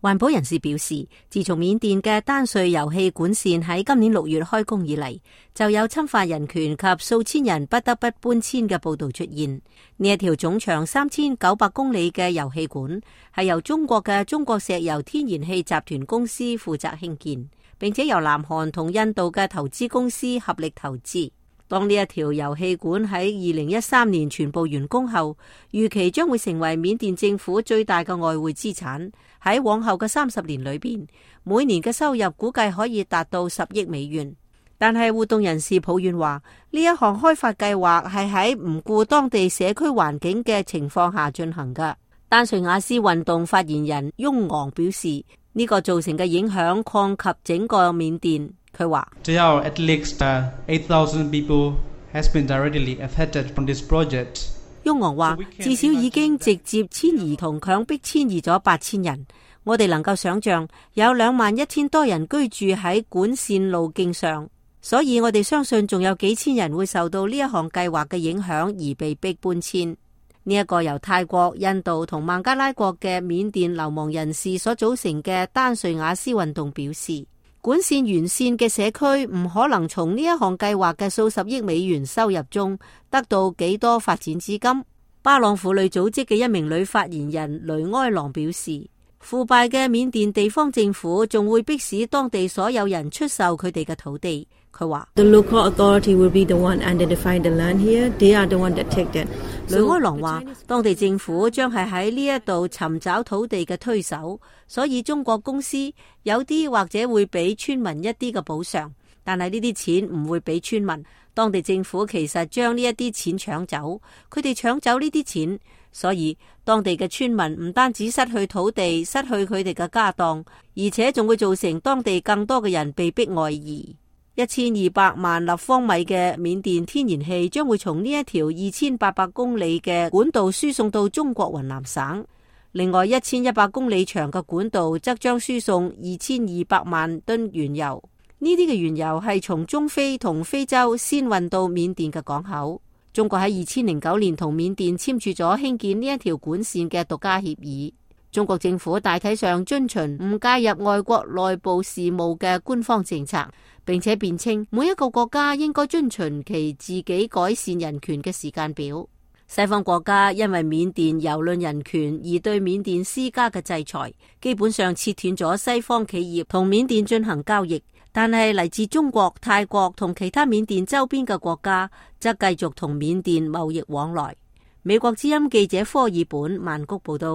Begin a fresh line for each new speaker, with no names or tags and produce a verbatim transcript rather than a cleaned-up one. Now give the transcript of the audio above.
環保人士表示，自從緬甸嘅丹瑞油氣管線喺今年六月開工以嚟，就有侵犯人權及數千人不得不搬遷嘅報道出現。呢一條總長三千九百公里嘅油氣管係由中國嘅中國石油天然氣集團公司負責興建，並且由南韓同印度嘅投資公司合力投資。當呢一條油氣管喺二零一三年全部完工後，預期將會成為緬甸政府最大嘅外匯資產。喺往後嘅三十年裏邊，每年嘅收入估計可以達到十億美元。但係活動人士抱怨話，呢一項開發計劃係喺唔顧當地社區環境嘅情況下進行㗎。丹瑞瓦斯運動發言人翁昂表示，呢、這個造成嘅影響擴及整個緬甸。佢話
：At least eight thousand people has been directly affected from this project。
翁昂話，至少已經直接遷移同強迫遷移咗八千人。我哋能夠想象有兩萬一千多人居住喺管線路徑上，所以我哋相信仲有幾千人會受到呢一項計劃嘅影響而被逼搬遷。呢一個由泰國、印度同孟加拉國嘅緬甸流亡人士所組成嘅丹瑞瓦斯運動表示，管線完善嘅社區唔可能從呢一項計劃嘅數十億美元收入中得到幾多發展資金。巴朗婦女組織嘅一名女發言人雷埃朗表示，腐敗嘅緬甸地方政府仲會迫使當地所有人出售佢哋嘅土地。佢話雷埃朗話，當地政府將係喺呢一度尋找土地嘅推手，所以中國公司有啲或者會俾村民一啲嘅補償，但係呢啲錢唔會俾村民。當地政府其實將呢一啲錢搶走，佢哋搶走呢啲錢，所以當地嘅村民唔單止失去土地，失去佢哋嘅家當，而且仲會造成當地更多嘅人被迫外移。一千二百萬立方米嘅緬甸天然氣將會從呢一條二千八百公里嘅管道輸送到中國雲南省，另外一千一百公里長嘅管道則將輸送二千二百萬噸原油。呢啲嘅原油係從中非同非洲先運到緬甸嘅港口。中國喺二千零九年同緬甸簽署咗興建呢一條管線嘅獨家協議。中國政府大體上遵循唔介入外國內部事務嘅官方政策，並且辯稱每一個國家應該遵循其自己改善人權嘅時間表。西方國家因為緬甸蹂躪人權而對緬甸施加嘅制裁，基本上切斷咗西方企業同緬甸進行交易。但係嚟自中國、泰國同其他緬甸周邊嘅國家則繼續同緬甸貿易往來。美國之音記者科爾本曼谷報道。